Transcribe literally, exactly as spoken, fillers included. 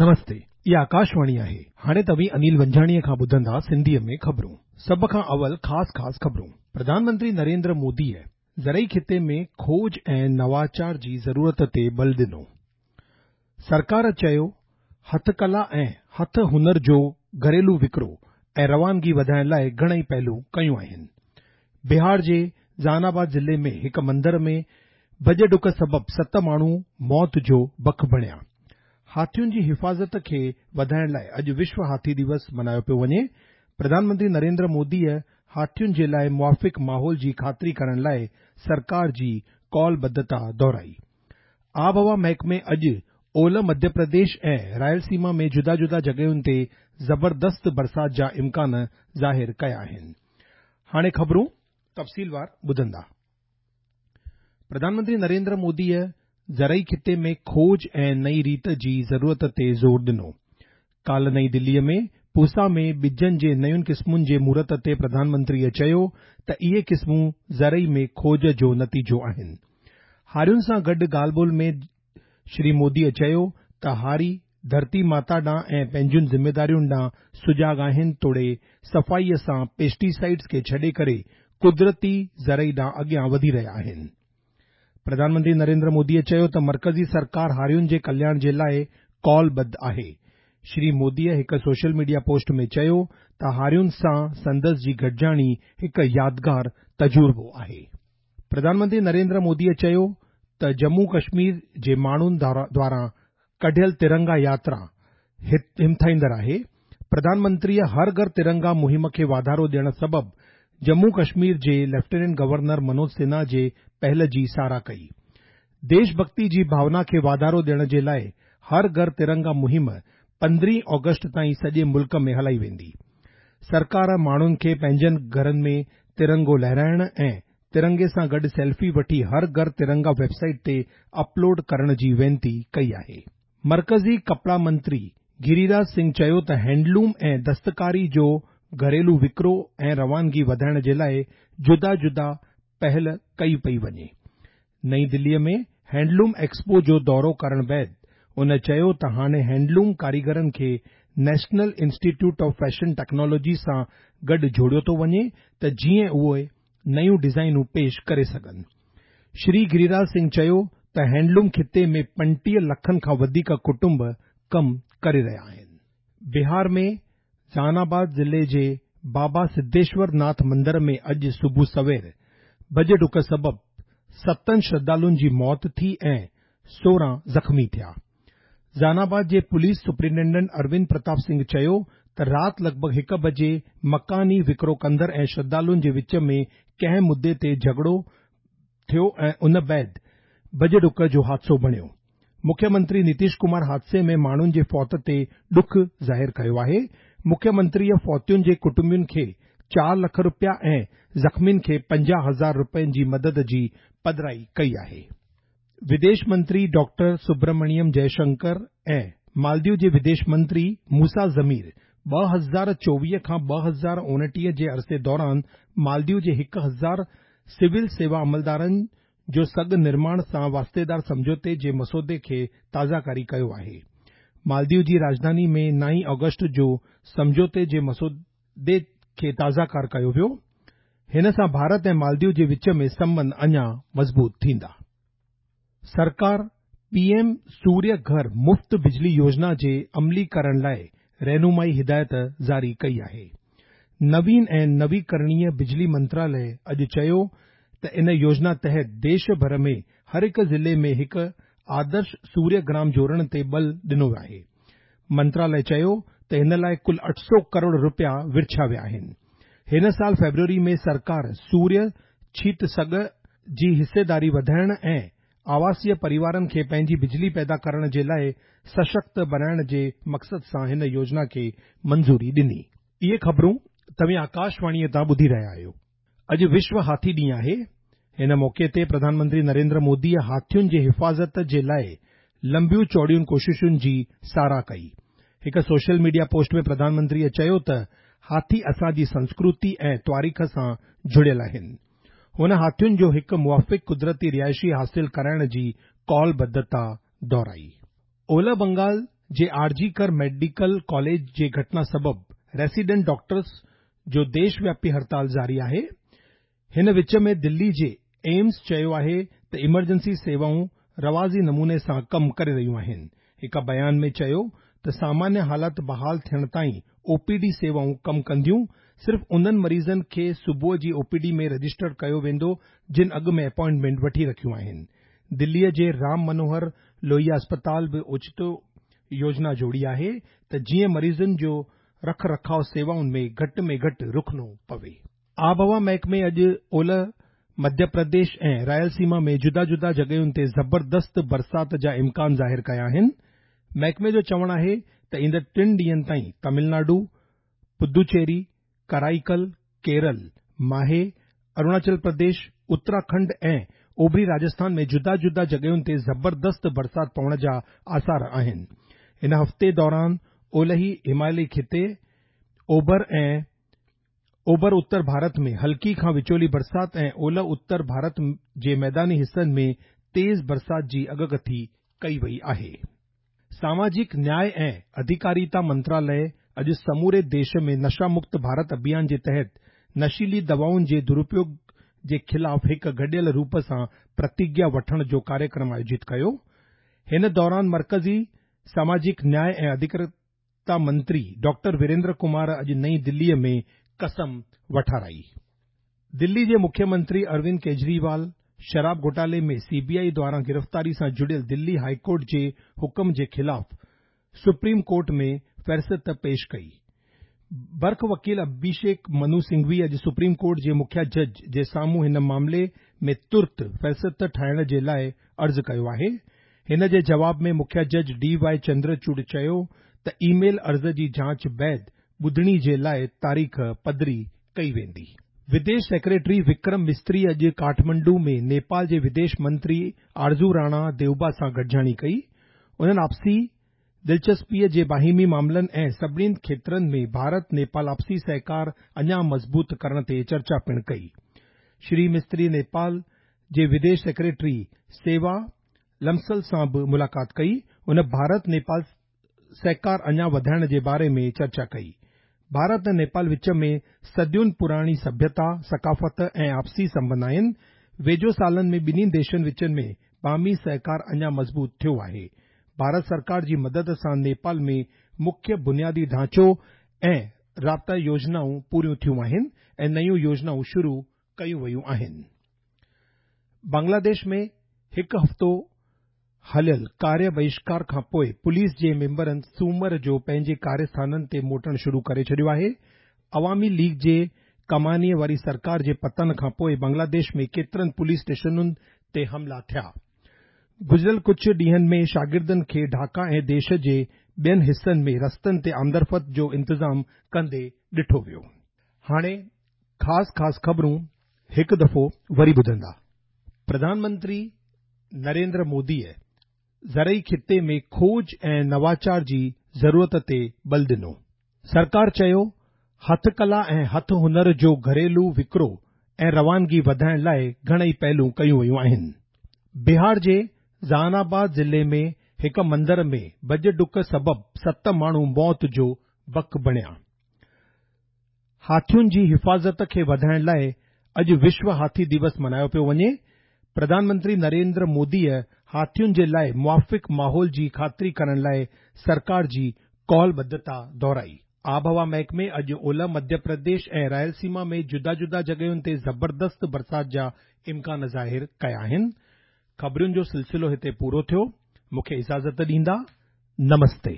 نمستي، اها آڪاشواڻي آهي. هاڻي توهين انيل ونجاڻيءَ کان ٻڌندا سنڌيءَ ۾ خبرون. سڀ کان اول خاص خاص خبرون. پرڌان منتري نريندر موديءَ زرعي خطي ۾ کوج ۽ نواچار جي ضرورت تي بل ڏنو. سرڪار چيو هٿ ڪلا ۽ هٿ هنر جو گهريلو وڪرو ۽ روانگي وڌائڻ لاءِ گهڻئي پهلون ڪيون آهن. بهار جي جهاناباد ضلعي ۾ هڪ مندر ۾ ڀڄ ڊڪ سبب ست ماڻهو موت جو بک بڻيا. هاٿين جي حفاظت کي وڌائڻ لاءِ اڄ وشو هاٿي دوس ملهايو پيو وڃي. پرڌان منتري نريندر موديءَ هاٿين جي لاءِ موافق ماحول جي خاطري ڪرڻ لاءِ سرڪار جي قولبڌتا دهرائي. آبهوا محڪمي اڄ اولهه مڌيه پرديش ۽ رائلسيما ۾ جدا جدا جڳهين تي زبردست برسات جا امڪان ظاهر ڪيا آهن. هاڻي خبرون تفصيلوار ٻڌندا. پرڌان منتري نريندر موديءَ زرعي خطي ۾ کوج ۽ نئين ريت جي ضرورت تي زور ڏنو. ڪالهه نئين دليءَ ۾ پوسا ۾ ٻجن جي نين قسمن جي مهورت تي پرڌان منتريءَ چيو ته اهي قسمون زرعي ۾ کوج جو نتيجو آهن. هارين سان گڏ ڳالهه ٻولهه ۾ شري موديءَ چيو ته هاري ڌرتي ماتا ڏانهن ۽ پنهنجين ذميدارين ڏانهن سجاڳ آهن توڙي صفائيءَ سان پيسٽيسائيڊز کي ڇڏي ڪري قدرتي زرعي ڏانهن اڳيان وڌي رهيا آهن. پرڌان منتري نريندر موديءَ چيو ته مرڪزي سرڪار هارين جي ڪلياڻ جي لاءِ قولبڌ آهي. شري موديءَ هڪ سوشل ميڊيا پوسٽ ۾ چيو ته هارين سان سندس جي گڏجاڻي هڪ يادگار تجربو آهي. پرڌان منتري نريندر موديءَ چيو ته ڄمون ڪشمير جي ماڻهن دواران ڪڍيل ترنگا ياترا همٿائيندڙ آهي. پرڌان منتريءَ هر گهر ترنگا مهم کي واڌارو ڏيڻ سبب ڄمون ڪشمير جي ليفٽيننٽ گورنر منوج سنها جي پهل جي ساراهه ڪئي. ديش ڀڳتي جي ڀاونا کي واڌارو ڏيڻ جي لاءِ هر گهر ترنگا مهم پندرهين آگسٽ تائين سڄي ملڪ ۾ هلائي ويندي. سرڪار ماڻهن کي پنهنجن گهرن ۾ ترنگو لهرائڻ ۽ ترنگي سان گڏ سيلفي وٺي هر گهر ترنگا ويب سائيٽ تي اپلوڊ ڪرڻ جي وينتي ڪئي آهي. مرڪزي ڪپڙا منتري گريراج سنگهه چيو ته هينڊلوم ۽ دستڪاري جو گهريلو وڪرو ۽ روانگي وڌائڻ جي لاءِ جدا جدا پهل ڪئي پئي وڃي. نئين دليءَ ۾ هينڊلوم ايڪسپو جو دورو ڪرڻ بعد ان چيو ته هاڻي هينڊلوم ڪاريگرن کي national institute of fashion technology سان گڏ جوڙيو ٿو وڃي ته جيئن اهي نيون ڊزائينون پيش ڪري سگهن. شري گريراج سنگهه چيو ته هينڊلوم خطي ۾ پنجٽيهه لکن کان وڌيڪ ڪٽنب ڪم ڪري رهيا آهن. بهار ۾ جهاناباد ضلعي جي بابا سڌيشور ناٿ مندر ۾ اڄ صبح سوير ڀڄ ڊڪ سبب ستن شرڌالن جي موت ٿي ۽ سورهن زخمي ٿيا. جهاناباد جي پوليس سپرنٽينڊنٽ اروند پرتاپ سنگهه چيو ته رات لڳ ڀڳ هڪ بجي مڪاني وڪرو ڪندڙ ۽ شرڌالن جي وچ ۾ ڪنهن مدعي تي جهڳڙو ٿيو ۽ ان بعد ڀڄ ڊڪ جو حادثو بڻيو. مکيه منتري نتيش ڪمار حادثي ۾ ماڻهن جي فوت تي ڏک ظاهر ڪيو آهي. مکيه منتريءَ فوتين جي ڪٽنبن کي چار لک رپيا ۽ زخمين کي پنجاهه هزار رپين جي مدد جي پڌرائي ڪئي آهي. وديش منتري ڊاڪٽر سبرمڻيم جئشنڪر ۽ مالديو جي وديش منتري موسيٰ ضمير ٻه هزار چوويهه کان ٻه هزار اڻٽيهه جي عرصي دوران مالديو جي هڪ هزار سول سيوا عملدارن جو سگهه نرماڻ سان واسطيدار سمجهوتي جي مسودي کي تازاڪاري ڪيو آهي. مالديو جي راڄڌاني ۾ نائين آگسٽ جو سمجهوتي جي مسودي کي تازاڪار ڪيو ويو. هن سان ڀارت ۽ مالديو جي وچ ۾ سنٻنڌ اڃا مضبوط ٿيندا. سرڪار پي ايم سوريه گهر مفت بجلي يوجنا جي عملي ڪرڻ لاءِ رهنمائي هدايت جاري ڪئي آهي. نوين ۽ نويڪرڻيه بجلي منتراليه اڄ چيو ته ان يوجنا تحت ديش ڀر ۾ هر هڪ ضلعي ۾ هڪ آدرش سوريه گرام جوڙڻ تي بل ڏنو آهي. منتراليه چيو ته هن لاءِ ڪل اٺ سؤ ڪروڙ رپيا ورڇيا ويا آهن. هن سال فيبروري ۾ سرڪار سوريه ڇت سگهه جي حصيداري وڌائڻ ۽ آواسيه پريوارن کي پنهنجي بجلي پيدا ڪرڻ جي لاءِ سشڪت بڻائڻ جي مقصد سان هن يوجنا کي منظوري ڏني. اهي خبرون توهين آڪاشواڻيءَ تان ٻڌي رهيا آهيو. اڄ وشو هاٿي ڏينهن آهي. هن موقعي تي پرڌان منتري نريندر موديءَ هاٿين جي حفاظت جي لاءِ لمبيون چوڙيون ڪوششن جي ساراهه ڪئي. هڪ سوشل ميڊيا پوسٽ ۾ پرڌان منتريءَ چيو ته هاٿي اسان جي سنسڪرتي ۽ تواريخ سان جڙيل آهن. هن هاٿين جو هڪ موافق قدرتي رهائشي حاصل ڪرائڻ جي قولبڌتا دهرائي. اولهه بنگال جي آر جي ڪر ميڊيڪل ڪاليج جي گهٽنا سبب ريسيڊنٽ ڊاڪٽرز جو ديش وياپي هڙتال جاري آهي. هن وچ ۾ دلي جي ايمس چيو آهي ته ايمرجنسي سيوائون رواجي نموني سان ڪم ڪري رهيون آهن. هڪ بيان ۾ چيو ته سامانيه حالت بحال ٿيڻ تائين او پي ڊي سيوائون ڪم ڪنديون، صرف انهن مريضن کي صبح جي او پي ڊي ۾ رجسٽر ڪيو ويندو جن اڳ ۾ اپائنٽمينٽ وٺي رکيون آهن. دليء جي رام منوهر لوهيا اسپتال به اوچتو يوجنا جوڙي آهي ته جيئن مريضن جو رک رکاءُ سيوائن ۾ گهٽ ۾ گهٽ رڪڻو پوي. آبهوا محڪمي اڄ اولهه مڌيه پرديش ۽ رائلسيما ۾ جدا جدا جڳهين تي زبردست برسات جا امڪان ظاهر ڪيا آهن. محڪمي جو چوڻ آهي ته ايندڙ ٽن ڏينهن تائين تامل ناڊو، پدوچيري، ڪرائيڪل، ڪيرل، ماهي، اروناچل پرديش، اتراکنڊ ۽ اوڀري راجسٿان ۾ جدا جدا جڳهين تي زبردست برسات پوڻ جا آثار آهن. هن هفتي دوران اولهي هماليه خطي، اوڀر ۽ اوڀر اتر ڀارت ۾ هلڪي کان وچولي برسات ۽ اولهه اتر ڀارت جي ميداني حصن ۾ تيز برسات جي اڳڪٿي ڪئي وئي آهي. ساماجڪ نياء ۽ اڌڪاريتا منتراليه اڄ سموري ديش ۾ نشا مڪت ڀارت اڀيان جي تحت نشيلي دوائن جي درپيوگ جي خلاف هڪ گڏيل روپ سان پرتگيا وٺڻ جو ڪاريڪرم آيوجت ڪيو. هن دوران مرڪزي ساماجڪ نياء ۽ اڌڪاريتا منتري ڊاڪٽر ويريندر ڪمار اڄ نئين دليء ۾ قسم وٺارائي. دلي جي مکيه منتري اروند ڪيجريوال شراب گهوٽالي ۾ سي بي آئي دواران گرفتاري سان جڙيل دلي هاءِ ڪورٽ جي حڪم جي خلاف سپريم ڪورٽ ۾ فهرست پيش ڪئي. برک وڪيل اڀيشيڪ منو سنگهوي اڄ سپريم ڪورٽ جي مکيه جج جي سامهون هن معاملي ۾ ترت فهرست ٺاهڻ جي لاءِ عرض ڪيو آهي. هن جي جواب ۾ مکيه جج ڊي وائي چندرچوڙ چيو ته اي ميل عرض جي جاچ بعد ٻڌڻي جي لاءِ تاريخ پڌري ڪئي ويندي. وديش سيڪريٽري وڪرم مستري اڄ ڪاٺمنڊو ۾ نيپال جي وديش منتري آرزو راڻا ديوبا سان گڏجاڻي ڪئي. انهن آپسي دلچسپيءَ جي باهمي معاملن ۽ سڀني کيترن ۾ ڀارت نيپال آپسي سهڪار اڃا مضبوط ڪرڻ تي چرچا پڻ ڪئي. شري مستري نيپال جي وديش سيڪريٽري سيوا لمسل سان به ملاقات ڪئي. هن ڀارت نيپال سهڪار اڃا وڌائڻ جي باري ۾ چرچا ڪئي. ڀارت ۽ نيپال وچ ۾ صدين پراڻي سڀيتا، ثقافت ۽ آپسي سنٻنڌ آهن. ويجهو سالن ۾ ٻنهي ديشن وچ ۾ باهمي سهڪار اڃا مضبوط ٿيو آهي. ڀارت سرڪار جي مدد سان نيپال ۾ مکيه بنيادي ڍانچو ۽ رابطا يوجنائون پوريون ٿيون آهن ۽ نيون يوجنائون شروع ڪيون ويون آهن. بنگلاديش ۾ هڪ هفتو هليل ڪاريه بهشڪار کان پوءِ پوليس جي ميمبرن سومر جو پنهنجي ڪاريه تي موٽڻ شروع ڪري ڇڏيو آهي. عوامي ليگ جي ڪمانيءَ واري سرڪار جي پتن کان پوءِ بنگلاديش ۾ ڪيترن پوليس اسٽيشنن تي حملا ٿيا. گذريل ڪجهه ڏينهن ۾ شاگردن کي ڍاڪا ۽ ديش جي ٻين حصن ۾ رستن تي آمدرفت جو انتظام ڪندي ڏٺو ويو. هاڻي خاص خاص خبرون هڪ دفعو وري ٻڌندا. پرڌان منتري نريندر موديءَ زرعي خطي ۾ کوج ۽ نواچار جي ضرورت تي بل ڏنو. سرڪار چيو هٿ ڪلا ۽ هٿ هنر جو گهريلو وڪرو ۽ روانگي وڌائڻ لاءِ گهڻئي پهلون ڪيون ويون آهن. بهار جي جهاناباد ضلعي ۾ هڪ مندر ۾ ڀڄ ڊڪ سبب ست ماڻهو موت جو بک بڻيا. هاٿين جي حفاظت کي وڌائڻ لاءِ اڄ وشو هاٿي دوس ملهايو پيو وڃي. پرڌان منتري نريندر موديءَ هاٿين جي لاءِ موافق ماحول جي خاطري ڪرڻ لاءِ سرڪار جي قولبڌتا دهرائي. آبهوا محڪمي اڄ اولهه مڌيه پرديش ۽ رائلسيما ۾ جدا جدا جڳهين تي زبردست برسات جا امڪان ظاهر ڪيا آهن. خبرن جو سلسلو هتي پورو ٿيو. مون کي اجازت ڏيندا. نمستي.